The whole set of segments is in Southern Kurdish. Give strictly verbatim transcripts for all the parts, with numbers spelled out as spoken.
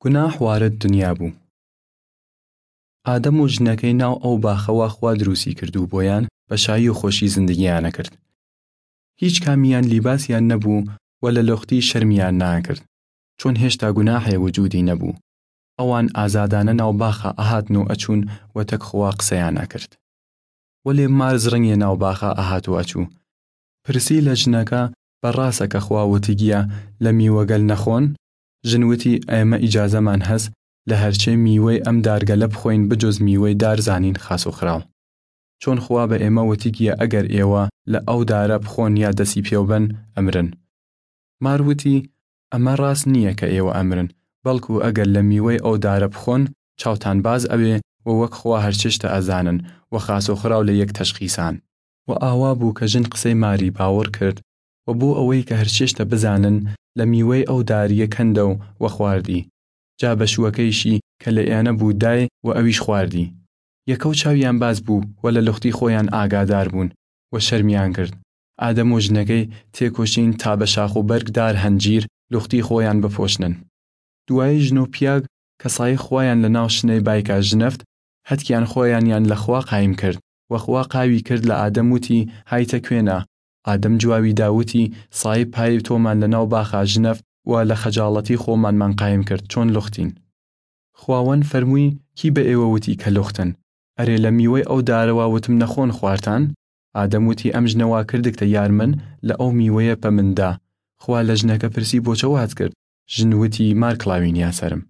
گوناح وارد دنیا بوو. ئادەم و ژنەکەی ناو ئەو باخەوە خوا دروسی کردوو بۆیان بە شایی و خۆشی زندگیانە کرد. هیچ کامیان لیباسیان نەبوو و لە لوختی شەرمیان ناکرد، چون هێشتا گوناحێ وجودی نەبوو. ئەوان ئازادانە ناو باخە ئەهاتن و ئەچوون و تەک خوا قسەیان ئەکرد. وەلێ مار زڕنگێ ناو باخە ئەهات و ئەچوو. پرسی لە ژنەکە، بە ڕاسە کە خوا وتیگیە لە میوەگەل نەخۆن؟ ژن وتی، ئێمە ئیجازەمان هەس لە هەرچێ میوەی ئەم دارگەلە بخۆین بجز میوەی دار زانین خاس و خراو. چۆن خوا بە ئێمە وتیگیە ئەگەر ئێوە لە ئەو دارە بخۆن یا دەسی پێوبەن، ئەمرن. مار وتی، ئەمە ڕاس نییە کە ئێوە ئەمرن، بەڵکو ئەگەر لە میوەی ئەو دارە بخۆن، چاوتان باز ئەوێ و وەک خوا هەرچێشتە ئەزانن و خاس و خراو لە یەک تەشخیسان. و ئاوا بوو کە ژن قسەی ماری باوەڕ کرد و بۆ ئەوەی کە هەرچێشتە بزانن، لە میوەی ئەو داریە کەندەو و خواردی. جا بەشووەکەیشی کە لە ئێانە بوو دای و ئەویش خواردی. یەکەو چاویان باز بوو و لە لوختی خۆیان ئاگادار بوون و شەرمیان کرد. ئادەم و ژنەکەی تێکۆشین تا بە شاخ و بەرگ دار هەنجیر لوختی خۆیان بپۆشنن. دوایی ژن و پیاگ کە سای خوایان لە ناو شنەی بایکا ژنەفت، هەتکیان خۆیانیان لە خوا قایم کرد و خوا قاوی کرد لە ئادەم وتی، هایتە کوێنا؟ ئادەم جواوی دا وتی، سای پای تۆمان لە ناو باخا ژنەفت و لە خەجاڵەتی خۆمانمان قایم کرد، چۆن لوختین؟ خواوەن فەرمووی، کی بە ئێوە وتی کە لوختن؟ ئەرێ لە میوەی ئەو دارەوە وتم نەخۆن خوارتان؟ ئادەم وتی، ئەم ژنە وا کردگتە یار من، لە ئەو میوەیە پە من دا. خوا لە ژنەکە پرسی، بۆچە وات کرد؟ ژن وتی، مار کڵاوینیا سەرم.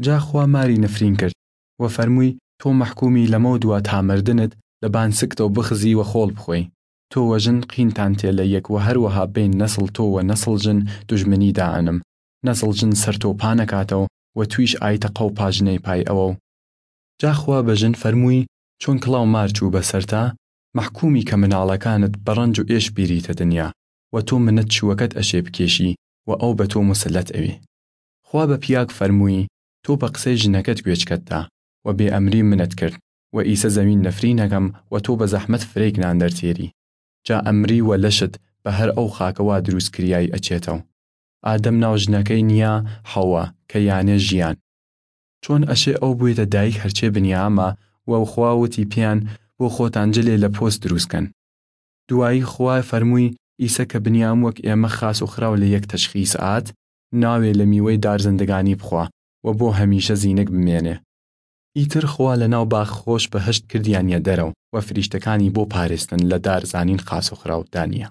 جا خوا ماری نفرین کرد و فەرمووی، تۆ مەحکومی لەمەو دوا تا مردنت لە بان سکتەو بخزی و خۆڵ بخوەی. تۆ و ژن قینتان تێ لە یەک و هەروەها بین نەسڵ تۆ و نەسڵ ژن دوژمنی دائەنم. نەسڵ ژن سەر تۆ پانەکاتەو و تویش ئایتە قەو پاژنەی پای ئەوەو. جا خوا بە ژن فەرمووی، چۆن کڵاو مار چوو بە سەرتا، مەحکومی کە مناڵەکانت بە ڕەنج و ئێش بیریتە دنیا و تۆ منت چووەکەت ئەشێ بکێشی و ئەو بە تۆ موسلەت ئەوی. خوا بە پیاگ فەرمووی، تۆ بە قسەی ژنەکەت گوێچکەت دا و بێ ئەمری منت کرد و ئیسە زەمین نەفرینەکەم و تۆ بە زەحمەت فرەیگ نان دەرتێری. جا ئەمری و لەشت بە هەر ئەو خاکە وا دروس کریای ئەچێتەو. ئادەم ناو ژنەکەی نیا حەوا کە یانێ ژیان. چۆن ئەشێ ئەو بوێتە دایک هەرچێ بنیامە و خوا وتی پیان، بۆ خۆتان جلێ لە پۆست دروس کەن. دوایی خوا فەرمووی، ئیسە کە بنیام وەک ئێمە خاس و خراو لە یەک تەشخیس ئات، ناوێ لە میوەی دار زندگانی بخوا و بۆ هەمیشە زینگ بمێنێ. ئیتر خوا لە ناو باخ خۆش بەهەشت کردیانیە دەرەو و فریشتەکانی بۆ پارێستن لە دار زانین خاس و خراو دانیە.